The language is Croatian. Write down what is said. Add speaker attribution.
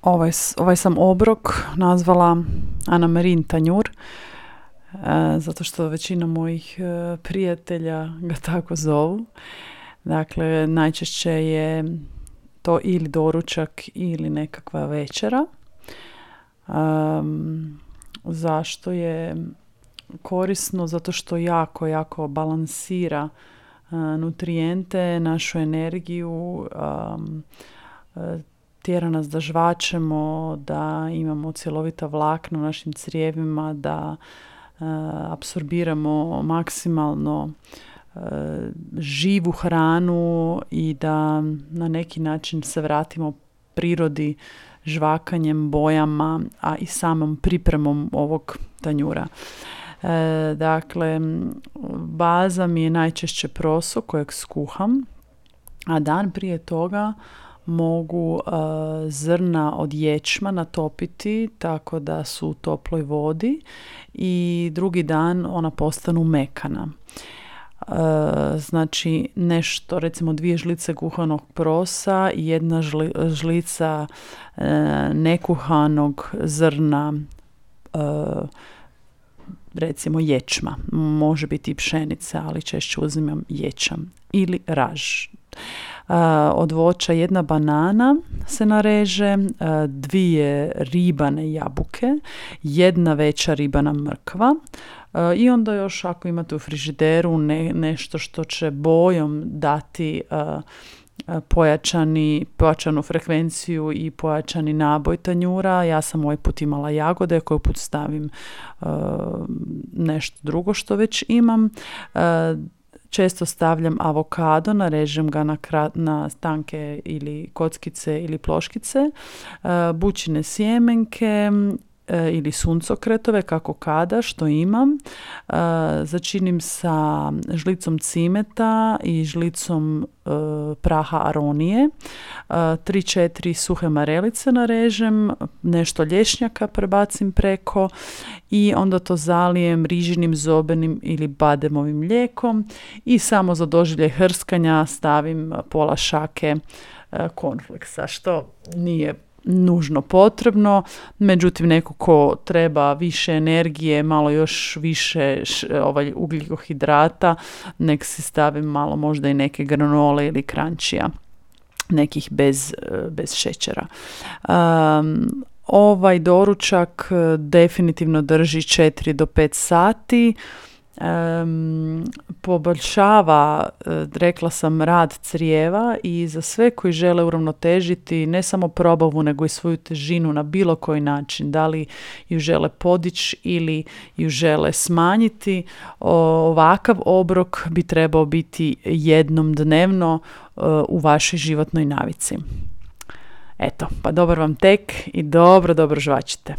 Speaker 1: Ovaj sam obrok nazvala Anamarin tanjur, zato što većina mojih prijatelja ga tako zovu. Dakle, najčešće je to ili doručak ili nekakva večera. Zašto je korisno? Zato što jako balansira nutrijente, našu energiju, tjera nas da žvačemo, da imamo cjelovita vlakna u našim crijevima, da apsorbiramo maksimalno živu hranu i da na neki način se vratimo prirodi žvakanjem, bojama, a i samom pripremom ovog tanjura. Dakle, baza mi je najčešće proso kojeg skuham, a dan prije toga mogu zrna od ječma natopiti tako da su u toploj vodi i drugi dan ona postanu mekana. Znači nešto, recimo 2 žlice kuhanog prosa i 1 žlica nekuhanog zrna, recimo ječma. Može biti i pšenica, ali češće uzimam ječam ili raž. Od voća 1 banana se nareže, 2 ribane jabuke, 1 veća ribana mrkva i onda još ako imate u frižideru nešto što će bojom dati pojačanu frekvenciju i pojačani naboj tanjura. Ja sam ovaj put imala jagode, koji put stavim nešto drugo što već imam. Često stavljam avokado, narežem ga na tanke ili kockice ili ploškice, bućine sjemenke ili suncokretove, kako kada, što imam. Začinim sa žlicom cimeta i žlicom praha aronije. 3-4 suhe marelice narežem, nešto lješnjaka prebacim preko i onda to zalijem rižinim, zobenim ili bademovim mlijekom i samo za doživljaj hrskanja stavim pola šake cornflakesa, što nije nužno potrebno, međutim neko ko treba više energije, malo još više ugljikohidrata, nek si stavim malo možda i neke granole ili krančija, nekih bez šećera. Ovaj doručak definitivno drži 4 do 5 sati. Poboljšava, rekla sam, rad crijeva i za sve koji žele uravnotežiti ne samo probavu nego i svoju težinu na bilo koji način, da li ju žele podići ili ju žele smanjiti, ovakav obrok bi trebao biti jednom dnevno u vašoj životnoj navici. Eto, pa dobar vam tek i dobro žvačite.